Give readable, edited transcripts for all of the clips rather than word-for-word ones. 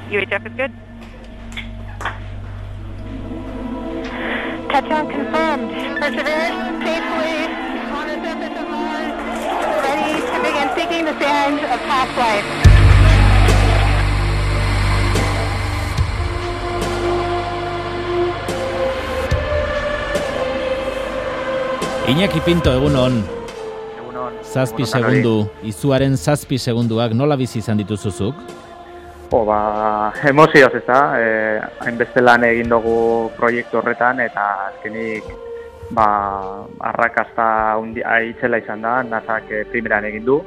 UHF is good. Touchdown confirmed. Perseverance safely on the surface of Mars, ready to begin seeking the signs of past life. Iñaki Pinto, egunon. Egunon. 7 segundu, izuaren 7 segunduak nola bizi izan dituzuzuk? Emozioz, ez da, hainbeste lan egin dugu proiektu horretan, eta azkenik, arrakasta aitzela izan da, NASAk primeran egin du,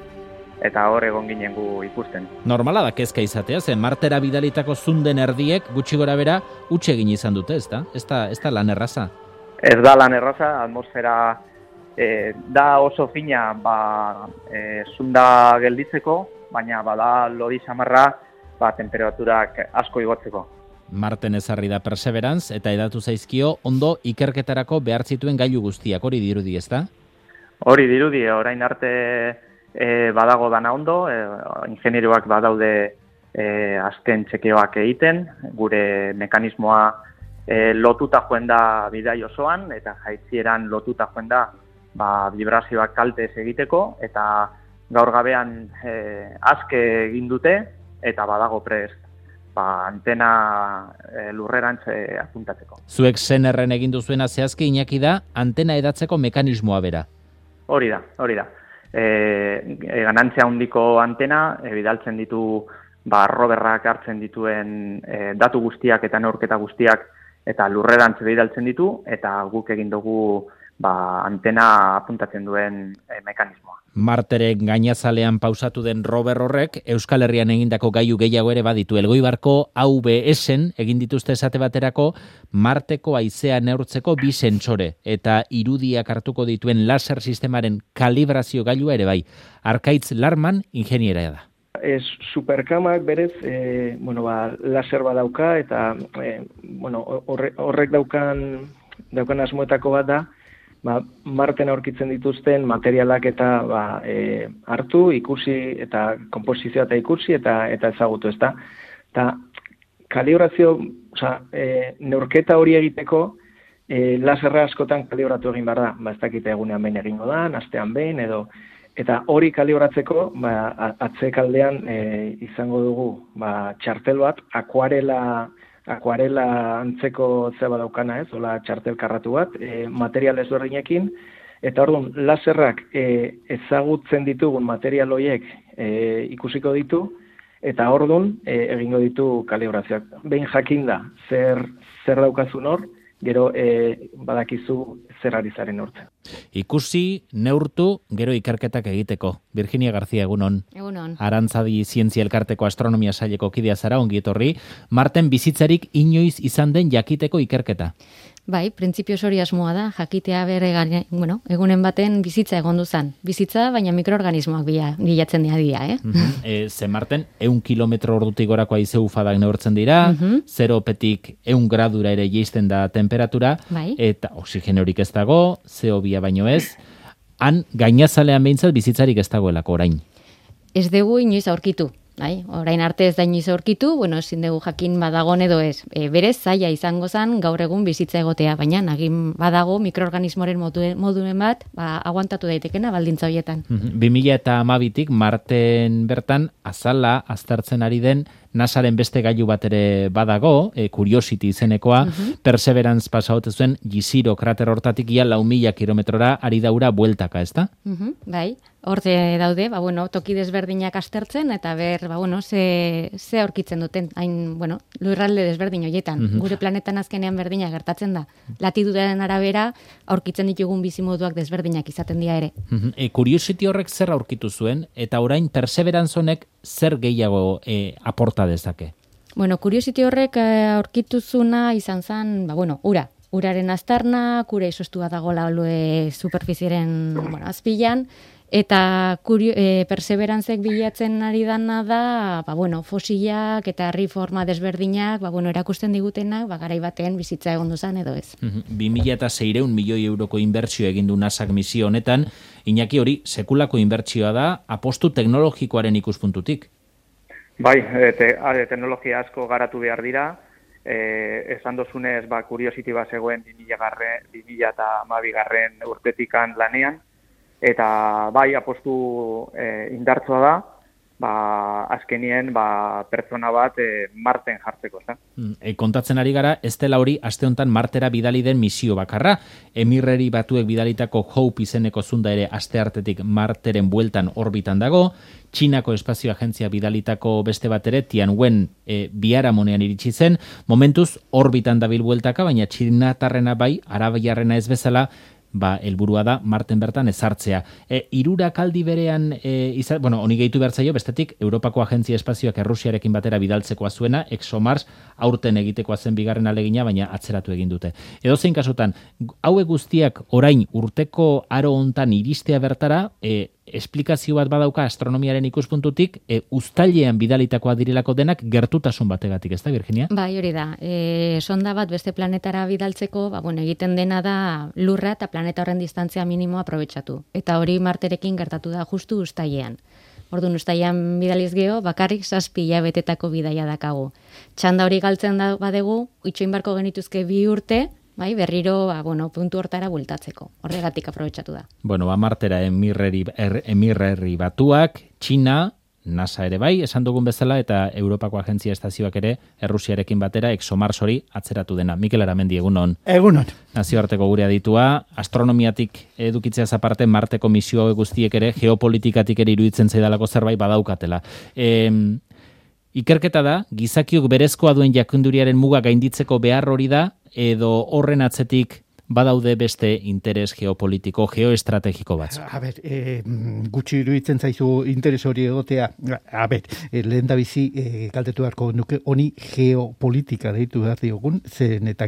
eta hor egon ginen gu ikusten. Normala da kezka izatea, zen Martera bidalitako zunden erdiek gutxi gora bera utxe egin izan dute, ez da? Ez da lan erraza? Ez da lan erraza, atmosfera da oso fina zunda gelditzeko, baina bada lodi samarra temperaturak asko igotzeko. Marten ezarri da Perseverance eta edatu zaizkio ondo ikerketarako behar zituen gailu guztiak, hori dirudi, ez da? Hori dirudi, orain arte badago dana ondo, ingenieroak badaude azken txekeoak egiten, gure mekanismoa lotuta joen da bidai osoan, eta jaitzieran lotuta joen da vibrazioak kaltez egiteko, eta gaur gabean azke egin dute, eta badago prest antena lurrerantz apuntatzeko. Zuek zenerren egin duzuena zehazki, Iñaki, da antena edatzeko mekanismoa bera. Hori da. Ganantzia handiko antena, bidaltzen ditu roverrak hartzen dituen datu guztiak eta neurketa guztiak eta lurrerantz bidaltzen ditu, eta guk egin dugu antena apuntatzen duen mekanismoa. Marteren gainazalean pausatu den rover horrek Euskal Herrian egindako gailu gehiago ere baditu. Elgoibarko AVS-en egin dituzte esate baterako Marteko haizea neurtzeko 2 sentsore eta irudiak hartuko dituen laser sistemaren kalibrazio gailua ere bai. Arkaitz Larman ingeniera da. Superkamak berez, laser bat dauka eta horrek daukan asmoetako bat da, Marten aurkitzen dituzten materialak eta hartu, ikusi eta konposizioa eta ikusi eta ezagutu, ezta. Eta kalibrazio, neurketa hori egiteko laserra askotan kalibratu egin behar da. Ez dakite egunean behin egingo da, astean behin edo. Eta hori kalibratzeko, atzekaldean izango dugu txartel bat, akuarela antzeko zeba daukana, hola txartel karratu bat, material ezberdinekin, eta orduan laserrak ezagutzen ditugun material horiek ikusiko ditu, eta orduan egingo ditu kalibrazioak. Behin jakinda zer daukazun hor, gero badakizu zer ari zaren urtzen. Ikusi, neurtu, gero ikerketak egiteko. Virginia García, egunon. Egunon. Arantzadi Zientzia Elkarteko Astronomia Saileko kidea zara, ongi etorri. Marten bizitzarik inoiz izan den jakiteko ikerketa. Bai, printzipioz hori asmoa da, jakitea egunen baten bizitza egondu zen. Bizitza, baina mikroorganismoak bilatzen dira, Ze Marten, 100 kilometro ordutik gorako haize ufadak neurtzen dira, 0petik 100 gradura ere jeisten da temperatura, eta oxigenorik ez dago, CO2 baino ez, han gainazalean behintzat bizitzarik ez dagoelako orain. Ez dugu inoiz aurkitu. Orain arte ez da inoiz aurkitu, ezin dugu jakin badagon edo ez. Berez zaila izango zen gaur egun bizitza egotea, baina nagin badago mikroorganismoren moduen bat, aguantatu daitekena baldintza horietan. 2012tik Marten bertan azala aztertzen ari den NASAren beste gailu bat ere badago, Curiosity izenekoa, Perseverance pasaute zuen Jezero krater hortatik ia 4.000 kilometrora ari daura bueltaka, ez da? Bai, horte daude, toki desberdinak aztertzen, eta ze aurkitzen duten, hain, lurralde desberdin horietan. Gure planetan azkenean berdina gertatzen da. Latitudaren arabera, aurkitzen ditugun bizimoduak desberdinak izaten dira ere. Curiosity horrek zer aurkitu zuen, eta orain Perseverance honek zer gehiago aporta dezake? Curiosity horrek aurkituzuna izan zen, uraren aztarnak, ura izostua dagoela superfizieren azpilan, eta Perseveranceek bilatzen ari dana da, fosilak eta herri forma desberdinak, erakusten digutenak, garai batean bizitza egondu zen edo ez. 2.600 milioi euroko inbertsio egin du NASAk misio honetan, Iñaki, hori sekulako inbertsioa da apostu teknologikoaren ikuspuntutik. Bai, teknologia asko garatu behar dira, esan dozunez, Curiosity zegoen 2012 urtetikan lanean, eta bai, apostu indartzoa da, azkenien pertsona bat Marten jartzeko. Kontatzen ari gara, ez dela hori aste honetan Martera bidali den misio bakarra. Emirreri Batuek bidalitako Hope izeneko zunda ere aste hartetik Marteren bueltan orbitan dago. Txinako espazio agentzia bidalitako beste bat ere Tianwen biharamunean iritsi zen. Momentuz orbitan dabil bueltaka, baina txinatarrena bai, arabiarrena ez bezala, helburua da Marten bertan ezartzea. Hirurak aldi berean, honi gehitu behar zaio, bestetik, Europako Agentzia Espazioak Errusiarekin batera bidaltzekoa zuena, ExoMars, aurten egitekoa zen bigarren alegina, baina atzeratu egin dute. Edozein kasutan, hauek guztiak orain urteko aro hontan iristea bertara, esplikazio bat badauka astronomiaren ikuspuntutik, uztailean bidalitakoa direlako denak gertutasun bategatik, ez da, Virginia? Bai, hori da. Sonda bat beste planetara bidaltzeko, egiten dena da lurra eta planeta horren distantzia minimoa aprobetxatu. Eta hori Marterekin gertatu da justu uztailean. Orduan uztailean bidaliz geho, bakarrik 7 hilabetetako bidaia dakagu. Txanda hori galtzen da badegu, itxoin barko genituzke 2 urte, bai, berriro, puntu hortara bueltatzeko. Horregatik aprobetxatu da. Martera Emirreri Batuak, Txina, NASA ere bai, esan dugun bezala, eta Europako Agentzia Estazioak ere Errusiarekin batera ExoMars hori atzeratu dena. Mikel Aramendi, egunon. Egunon. Nazioarteko gure aditua, astronomiatik edukitzeaz aparte, Marteko misio guztiek ere, geopolitikatik ere iruditzen zaidalako zerbait badaukatela. Ikerketa da, gizakiok berezkoa duen jakinduriaren muga gainditzeko behar hori da, edo horren atzetik badaude beste interes geopolitiko, geoestrategiko batzu. Gutxi iruditzen zaizu interes hori egotea. Lehen da bizi galdetu beharko nuke honi geopolitika deitu behar diogun, zen eta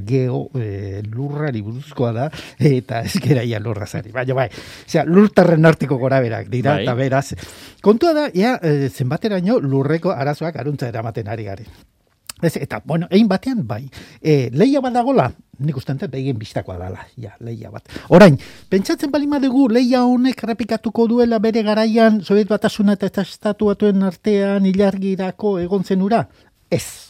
lurrari buruzkoa da, eta ez geraia lurrazari. Baina lurtarren artiko goraberak dira, eta beraz. Kontua da, zenbateraino lurreko arazoak aruntza eramaten ari garen. Eta, egin batean, bai. Lehia bat dagola, nik ustean begien biztakoa dala, lehia bat. Orain, pentsatzen balima dugu lehia honek errepikatuko duela bere garaian Soviet Batasuna eta Estatu Batuen artean ilargirako egon zen ura? Ez.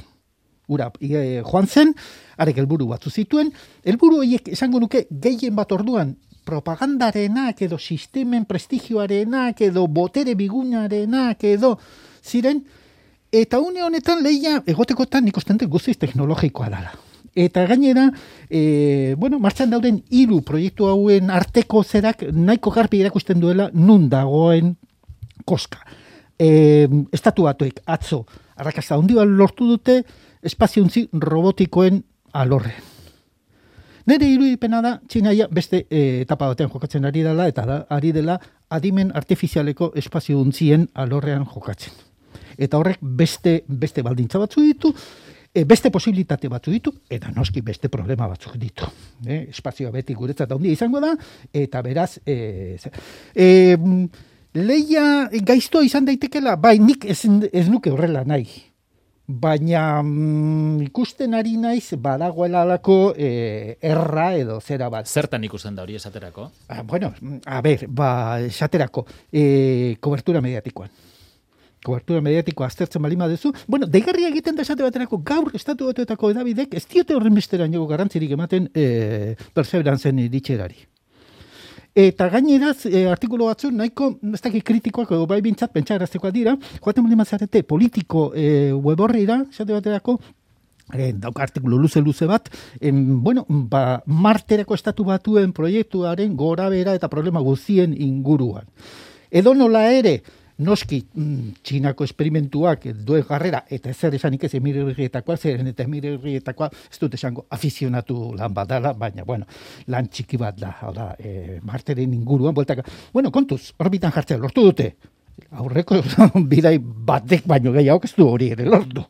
Ura, joan zen, arek helburu batzu zituen, helburu horiek esango nuke gehien bat orduan propagandarenak edo sistemen prestigioarenak edo botere bigunarenak edo ziren. Eta une honetan lehia egotekotan nik uste guztiz teknologikoa dela. Eta gainera, martxan dauden 3 proiektu hauen arteko zerak nahiko garbi erakusten duela nun dagoen koska. Estatu Batuek atzo arrakasta handi bat lortu dute espaziontzi robotikoen alorrean. Nere irudipena da, Txinaia beste etapa batean jokatzen ari dela, eta ari dela adimen artifizialeko espaziontzien alorrean jokatzen. Eta horrek beste baldintza batzu ditu, beste posibilitate batzu ditu, eta noski beste problema batzuk ditu. Espazioa beti guretzat handia izango da, eta beraz, lehia gaiztoa izan daitekela, bai nik ez nuke horrela nahi. Baina ikusten ari naiz badagoela alako erra edo zera bat. Zertan ikusten da hori esaterako? Esaterako, kobertura mediatikoan. Kobertura mediatikoa aztertzen balima duzu. Deigarria egiten da esate baterako gaur Estatu Batuetako edabidek ez diote horren besteraino garrantzirik ematen Perseveranzen iritxerari. Eta gaineraz, artikulu batzu nahiko, ez dakit kritikoak edo bai bintzat pentsaraztekoa dira, joaten balima zarete politiko web horrira, esate baterako, dauka artikulu luze bat, Marterako Estatu Batuen proiektuaren gorabera eta problema guztien inguruan. Edo nola ere, noski Txinako esperimentuak duen jarrera, eta ezer esanik ez Emirerrietakoa, zeren eta Emirerrietakoa ez dut esango afizionatu lan bat dela, baina, lan txiki bat da, Marteren inguruan, kontuz, orbitan jartzea lortu dute, aurreko bidai batek baino gehiago ez du hori ere lortu,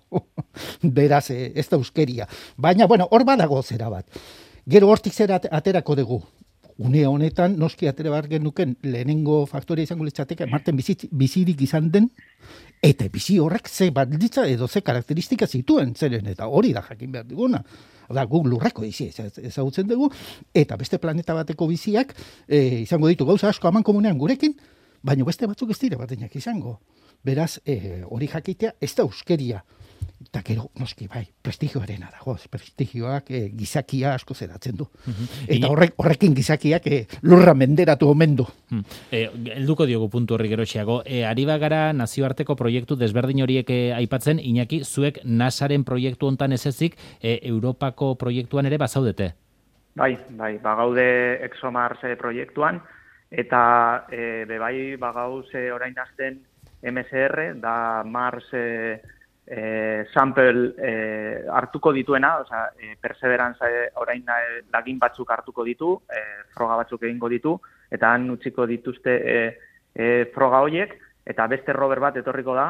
beraz ez da euskeria, baina, hor badago zera bat, gero hortik zera aterako dugu, une honetan, noski atera behar genuken lehenengo faktoria izango litzateke Marten bizirik izan den, eta bizi horrek ze balditza edo ze karakteristika zituen zeren, eta hori da jakin behar diguna. Guk lurreko bizi ezagutzen dugu, eta beste planeta bateko biziak izango ditu gauza asko aman komunean gurekin, baina beste batzuk ez dira batenak izango. Beraz, hori jakitea, ez da euskeria. Eta gero, noski, bai, prestigioarena dago, prestigioak gizakia asko zeratzen du. Eta horrekin gizakiak lurra menderatu omen du. Helduko diogu puntu horri geroxiago. Ari bagara nazioarteko proiektu desberdin horiek aipatzen, Iñaki, zuek NASAren proiektu hontan ez ezik, Europako proiektuan ere bazaudete? Bai, bagaude ExoMars proiektuan, eta bebai bagauz orain azten MSR, da Mars sample hartuko dituena, osea, Perseverance orain lagin batzuk hartuko ditu, froga batzuk egingo ditu, eta han utziko dituzte froga horiek, eta beste rover bat etorriko da,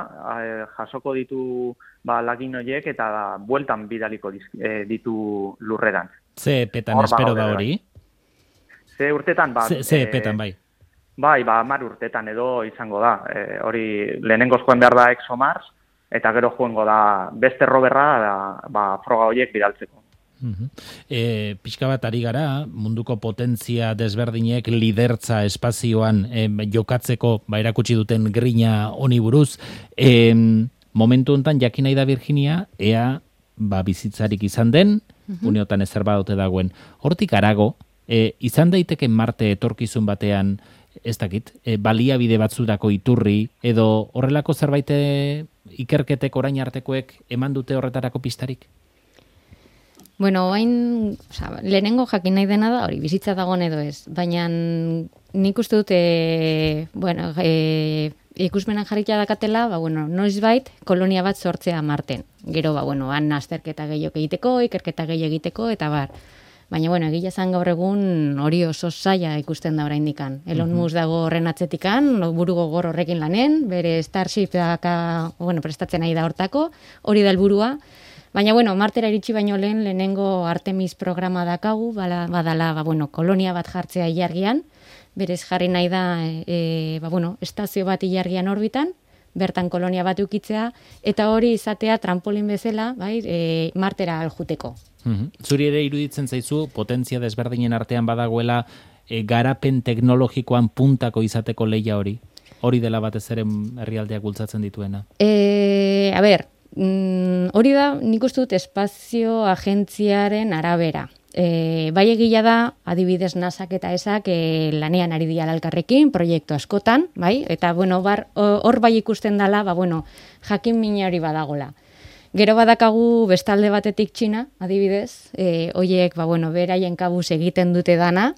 jasoko ditu lagin horiek, eta bueltan bidaliko ditu lurreran. Ze epetan espero da hori? Ze urtetan, Ze epetan, bai? Bai, 10 urtetan edo izango da. Hori lehenengoz joan behar da ExoMars, eta gero joango da beste roverra froga horiek bidaltzeko. Pixka bat ari gara, munduko potentzia desberdinek lidertza espazioan jokatzeko erakutsi duten grina honi buruz. Momentu hontan jakin nahi da Virginia, ea bizitzarik izan den, uneotan ezer badote dagoen. Hortik arago, izan daiteke Marte etorkizun batean, ez dakit, baliabide batzurako iturri, edo horrelako zerbait ikerketek orain artekoek eman dute horretarako pistarik? Bueno, lehenengo jakin nahi dena da, hori, bizitza dagoen edo ez, baina nik uste dute, ikusmenan jarrikia dakatela, noizbait kolonia bat sortzea Marten. Gero, han azterketa gehiago egiteko, ikerketa gehiago egiteko, eta bar. Baina, egia zan gaur egun hori oso zaila ikusten da oraindikan. Elon Musk dago horren atzetikan, buru gogor horrekin lanen, bere Starship prestatzen nahi da hortako, hori da helburua. Baina, Martera iritsi baino lehenengo Artemis programa dakagu, badala, kolonia bat jartzea ilargian, berez jarri nahi da, estazio bat ilargian orbitan, bertan kolonia bat ukitzea, eta hori izatea trampolin bezala, Martera aljuteko. Zuri ere iruditzen zaizu, potentzia desberdinen artean badagoela garapen teknologikoan puntako izateko lehia hori? Hori dela batez ere herrialdeak bultzatzen dituena? Hori da, nik uste dut espazio agentziaren arabera. Bai egia da, adibidez NASAk eta ESAk lanean ari dira elkarrekin, proiektu askotan, eta hor bai ikusten dela, jakin mina hori badagola. Gero badakagu bestalde batetik Txina, adibidez, horiek beraien kabuz egiten dute dana,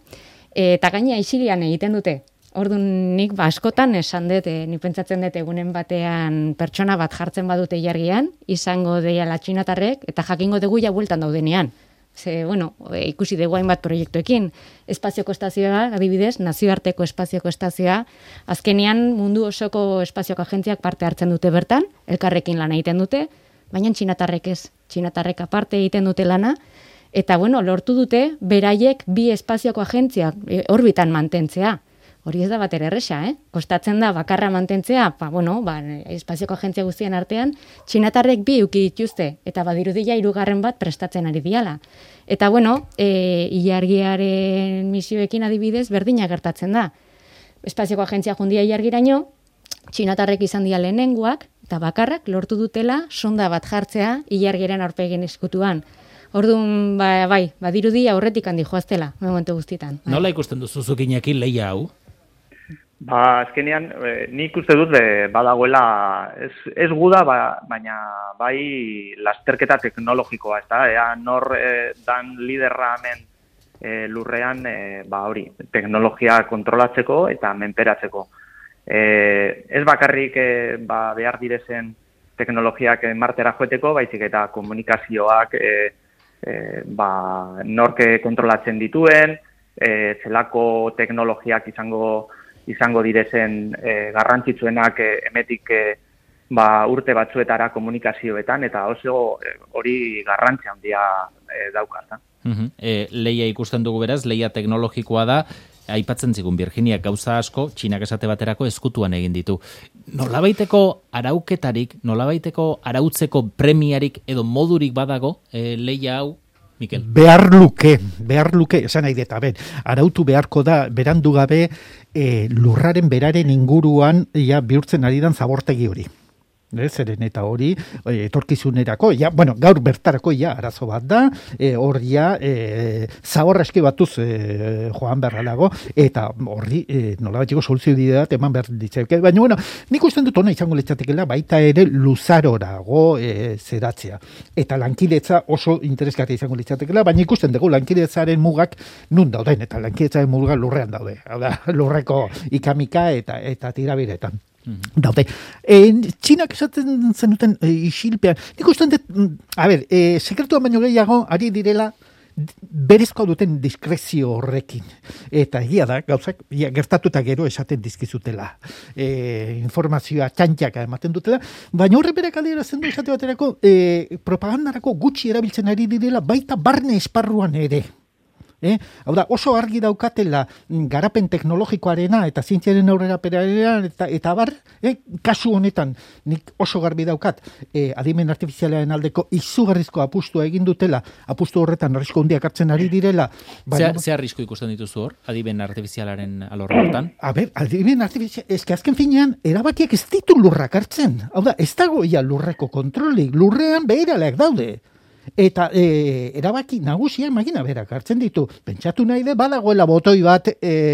eta gaina isilian egiten dute. Orduan nik askotan esan dut, nik pentsatzen dut egunen batean pertsona bat jartzen badute ilargian, izango deiala txinatarrek, eta jakingo dugu ja bueltan daudenean. Ikusi dugu hainbat proiektuekin. Espazioko estazioa, adibidez, nazioarteko espazioko estazioa, azkenean mundu osoko espazioko agentziak parte hartzen dute bertan, elkarrekin lana egiten dute, baina txinatarrek ez. Txinatarrek aparte egiten dute lana, eta lortu dute beraiek bi espazioko agentziak orbitan mantentzea. Hori ez da bat erresa, Kostatzen da bakarra mantentzea, espazioko agentzia guztien artean, txinatarrek bi uki dituzte, eta badirudia 3. bat prestatzen ari diala. Eta ilargiaren misioekin adibidez berdina gertatzen da. Espazioko agentzia jundia ilargiraino, txinatarrek izan dira lehenengoak, eta bakarrak lortu dutela sonda bat jartzea ilargiaren aurpegin eskutuan. Orduan, badirudia aurretik handi joaztela, momentu guztitan. Nola ikusten duzu zuk Iñaki lehia hau? Azkenean, nik uste dut badagoela, ez guda, baina bai lasterketa teknologikoa, ez da, nor dan liderra hemen lurrean, hori, teknologia kontrolatzeko eta menperatzeko. Ez bakarrik behar direzen teknologiak Martera joeteko, baizik eta komunikazioak norke kontrolatzen dituen, zelako teknologiak izango direzen garrantzitsuenak emetik urte batzuetara komunikazioetan, eta oso hori garrantzia handia dauka. Lehia ikusten dugu beraz, lehia teknologikoa da, aipatzen zigun Virginia gauza asko, Txinak esate baterako ezkutuan egin ditu. Nolabaiteko arauketarik, nolabaiteko arautzeko premiarik edo modurik badago lehia hau, Mikel? Behar luke, esan nahi deta, arautu beharko da, berandu gabe, lurraren beraren inguruan bihurtzen ari dan zabortegi hori. Zeren eta hori etorkizunerako, gaur bertarako arazo bat da, hor zaborra eski batuz joan berralago, eta horri nolabatiko soluzio bat eman behar ditzake. Baina, nik usten dut ona izango litzatekela, baita ere luzarorago zeratzea. Eta lankidetza oso interesgarria izango litzatekela, baina ikusten dugu lankidetzaren mugak nun dauden, eta lankidetzaren mugak lurrean daude. Hau da, lurreko ikamika eta tirabiretan. Daude. Txinak esaten zenuten isilpean. Nik usten dut, sekretua baino gehiago ari direla berezkoa duten diskrezio horrekin. Eta egia da, gauzak, gertatuta gero esaten dizkizutela. Informazioa txantxaka ematen dutela, baina horre berak adierazten du esate baterako propagandarako gutxi erabiltzen ari direla baita barne esparruan ere. Hau da, oso argi daukatela garapen teknologikoarena eta zientziaren aurrerapenarena eta bar, kasu honetan nik oso garbi daukat adimen artifizialaren aldeko izugarrizko apustua egin dutela, apustu horretan arrisku handiak hartzen ari direla. Ze arrisku ikusten dituzu hor, adimen artifizialaren alorretan? Adimen artifizial, azken finean, erabakiak ez ditu lurrak hartzen. Hau da, ez dago lurreko kontrolik, lurrean beheraleak daude. Eta erabaki nagusia magina berak hartzen ditu. Pentsatu nahi de badagoela botoi bat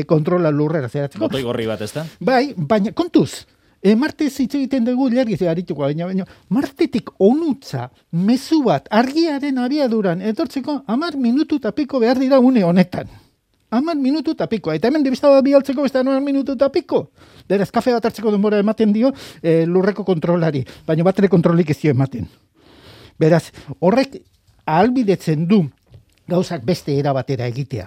kontrola lurrera zeratzeko. Botoi gorri bat, ez da? Bai, baina kontuz, Martez hitz egiten dugu lergiz arituko, baina Martetik onutza mezu bat argiaren abiaduran etortzeko 10 minutu eta piko behar dira une honetan. 10 minutu eta piko. Eta hemen debista da bialtzeko beste 10 minutu eta piko. Beraz, kafe bat hartzeko denbora ematen dio lurreko kontrolari, baina batere kontrolik ez dio ematen. Beraz, horrek ahalbidetzen du gauzak beste era batera egitea.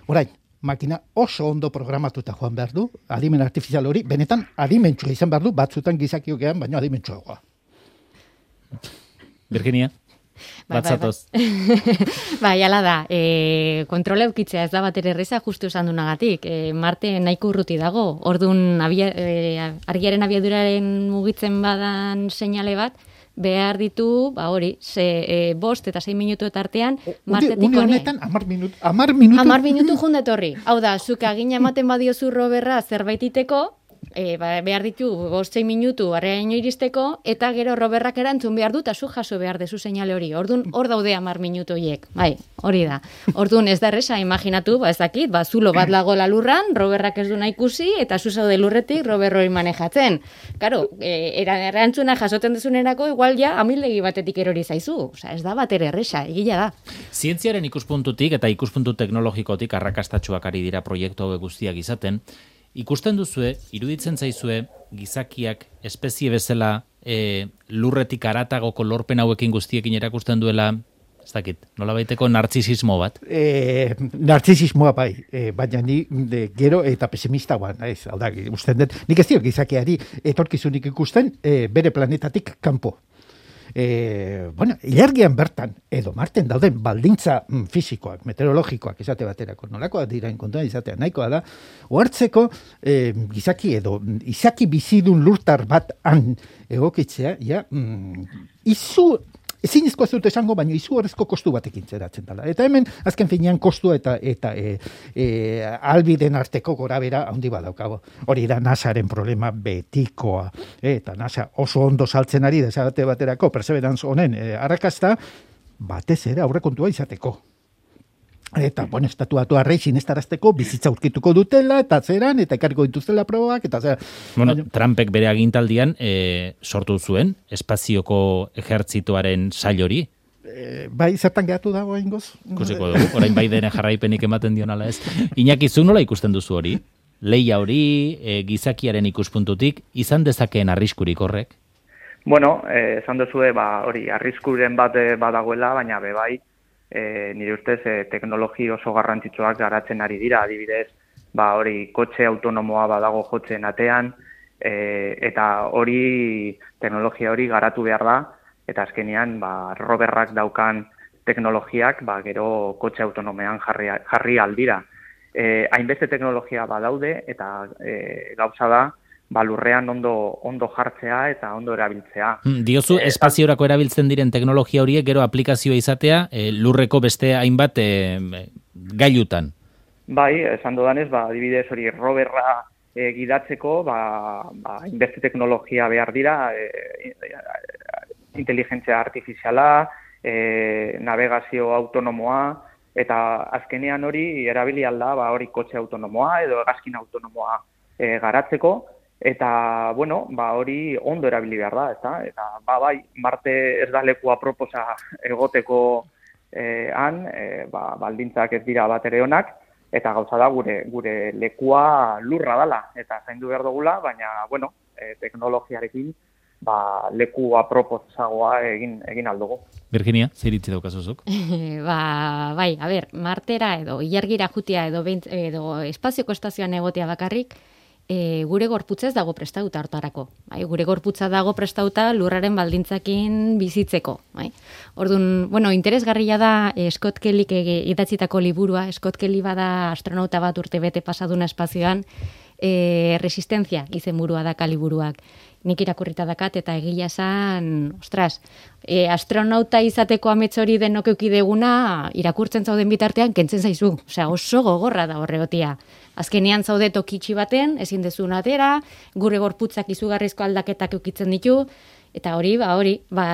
Orain, makina oso ondo programatuta joan behar du, adimen artifizial hori, benetan adimentsua izan behar du, batzutan gizakiokean, baina adimentsuagoa. Virginia, batzatoz. Bai, ala da, kontrola eukitzea ez da batere erreza justu esan dunagatik. Marte nahiko urruti dago, orduan argiaren abiaduraren mugitzen badan seinale bat, behar ditu, hori, 5 eta 6 minutu artean, Martetik une honetan, 10 minutu jundetorri. Hau da, zuk agina ematen badiozu roberra zerbaititeko, behar ditu 5-6 minutu arreaino iristeko, eta gero roberrak erantzun behar du, eta zu jaso behar dezu seinale hori. Orduan, hor daude 10 minutu hiek. Bai, hori da. Orduan, ez da erresa, imaginatu, ez dakit, zulo bat lagola lurran, roberrak ez du nahi ikusi, eta zu zaude lurretik rober hori manejatzen. Karo, erantzuna jasoten dezunerako, igual ja, amildegi batetik erori zaizu. Osa, ez da batere erresa, egila da. Zientziaren ikuspuntutik eta ikuspuntu teknologikotik arrakastatsuak ari dira proiektu hauek guztiak izaten, ikusten duzue, iruditzen zaizue, gizakiak espezie bezala lurretik aratagoko lorpen hauekin guztiekin erakusten duela, ez dakit, nolabaiteko nartzisismo bat? Nartzisismoa bai, baina ni gero eta pesimista guan, ez, hau da, usten dut, nik ez diot gizakiari etorkizunik ikusten bere planetatik kanpo. Ilargian bertan, edo Marten dauden baldintza fisikoak, meteorologikoak izate baterako, nolakoa dirain kontuan izatea nahikoa da, ohartzeko gizaki edo izaki bizidun lurtar bat han egokitzea, ezinezkoa zut esango, baina izugarrizko kostu batekin zeratzen dela. Eta hemen, azken finean, kostua eta albiden arteko gorabera handi badaukago. Hori da NASAren problema betikoa. Eta NASA oso ondo saltzen ari desabate baterako, Perseverance honen arrakasta, batez ere aurrekontua izateko. Eta, estatuatu arrei sinestarazteko bizitza aurkituko dutela, eta zeran, eta ekarriko dituztela probak, eta zera. Trumpek bere agintaldian sortu zuen espazioko ejertzitoaren sail hori. Bai, zertan gehatu dago ingoz? Ikusiko dugu, orain Bidenen jarraipenik ematen dion ala ez. Iñaki, zu nola ikusten duzu hori? Leia hori, gizakiaren ikuspuntutik, izan dezakeen arriskurik horrek? Esan duzue, hori, arriskuren bat badagoela, baina bai, nire ustez teknologi oso garrantzitsuak garatzen ari dira, adibidez, hori kotxe autonomoa badago jotzen atean, eta hori teknologia hori garatu behar da, eta azkenean roberrak daukan teknologiak gero kotxe autonomean jarri aldira. Hainbeste teknologia badaude, eta gauza da, lurrean ondo jartzea eta ondo erabiltzea. Diozu, espaziorako erabiltzen diren teknologia horiek gero aplikazioa izatea lurreko beste hainbat gailutan. Bai, esan dudanez, adibidez hori roverra gidatzeko, inbeste teknologia behar dira, inteligentzia artifiziala, navegazio autonomoa, eta azkenean hori erabili alda, hori kotxe autonomoa edo hegazkin autonomoa garatzeko, eta, hori ondo erabili behar da, ezta? Eta, bai, Marte ez da leku aproposa egoteko baldintzak ez dira bat ere onak, eta gauza da gure lekua lurra dala, eta zaindu behar dugula, baina, teknologiarekin leku aproposagoa egin aldugu. Virginia, zer iritzi daukazuzuk? Bai, a ber, Martera edo ilargira jutia edo espazioko estazioan egotea bakarrik, gure gorputza ez dago prestauta hartarako. Bai? Gure gorputza dago prestauta lurraren baldintzakin bizitzeko. Bai? Orduan, interesgarria da Scott Kellyk idatzitako liburua. Scott Kelly bada astronauta bat urte bete pasaduna espazioan, Resistencia izenburua daka liburuak. Nik irakurrita dakat eta egia esan, astronauta izateko amets hori denok eukideguna, irakurtzen zauden bitartean, kentzen zaizu. Osea, oso gogorra da horregotia. Azkenean zaude tokitxi baten, ezin dezun atera, gure gorputzak izugarrizko aldaketak eukitzen ditu, eta hori,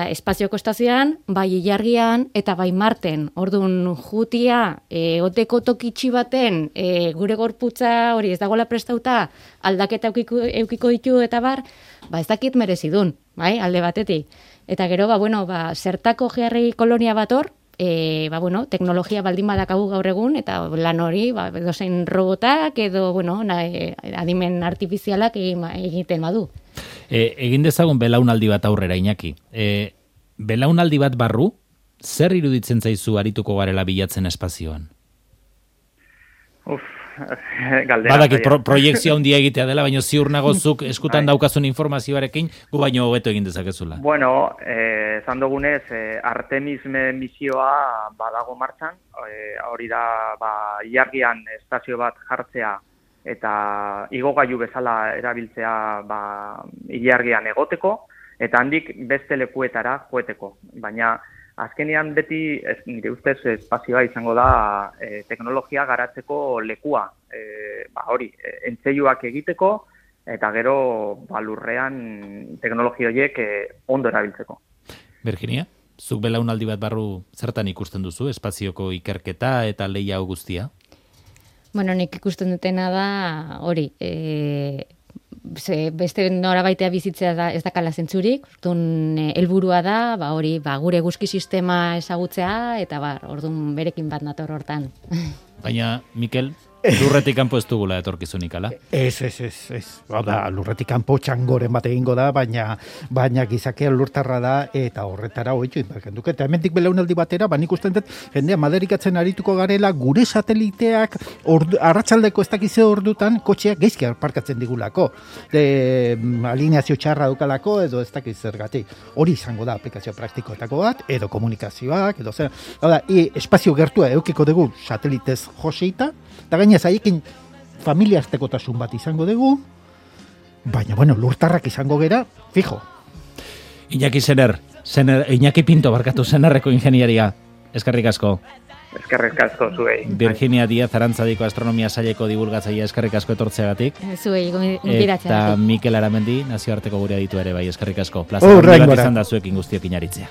espazioko estazioan, bai ilargian, eta bai Marten. Orduan, jutia, oteko tokitxi baten, gure gorputza hori ez dagoela prestauta, aldaketa eukiko ditu eta ez dakit merezidun, bai, alde batetik. Eta gero, zertako geharri kolonia bat hor, teknologia baldin badakagu gaur egun, eta lan hori, edozein robotak edo, adimen artifizialak egiten badu. Egin dezagun belaunaldi bat aurrera, Iñaki. Belaunaldi bat barru, zer iruditzen zaizu arituko garela bilatzen espazioan? Galdera. Badakit proiektzio handia egitea dela, baina ziur nagozuk eskutan daukazun informazioarekin, gu baino hobeto egin dezakezula. Esan dugunez, Artemis misioa badago martxan, hori da ilargian estazio bat jartzea eta igogailu bezala erabiltzea ilargian egoteko, eta handik beste lekuetara joeteko. Baina azkenean beti, nire ustez, espazioa izango da teknologia garatzeko lekua. Hori, entzeiuak egiteko, eta gero lurrean teknologia horiek ondo erabiltzeko. Virginia, zuk belaunaldi bat barru zertan ikusten duzu, espazioko ikerketa eta lehia hau guztia? Nik ikusten dutena da, hori, beste norabaitea bizitzea ez dakala zentzurik, helburua da, gure eguzki sistema ezagutzea, eta orduan berekin bat nator hortan. Baina, Mikel, lurretik kanpo ez dugula etorkizunik, ala? Ez. Lurretik kanpo txangoren bat egingo da, baina gizakea lurtarra da, eta horretara hoitu inbarkenduke. Eta hemendik belaunaldi batera, nik usten dut, jendea maderikatzen arituko garela, gure sateliteak arratsaldeko ez dakize ordutan, kotxeak geizki parkatzen digulako. Alineazio txarra dukalako, edo ez dakiz zergatik. Hori izango da aplikazio praktikoetako bat, edo komunikazioak, edo zer. Espazio gertua eukiko dugu satelitez joseita, eta gainez haiekin familiaztekotasun bat izango dugu, baina, lurtarrak izango gera, fijo. Iñaki Iñaki Pinto barkatu Senarreko ingeniaria. Eskerrik asko. Eskerrik asko zuei. Virginia Díaz Arantzadiko Astronomia Saileko divulgatzailea, eskerrik asko etortzeagatik. Zuei gonbidatzeagatik. Eta Mikel Aramendi nazioarteko gure aditu ere bai, eskerrik asko. Plazer bat izan da zuekin guztiok inaritzea.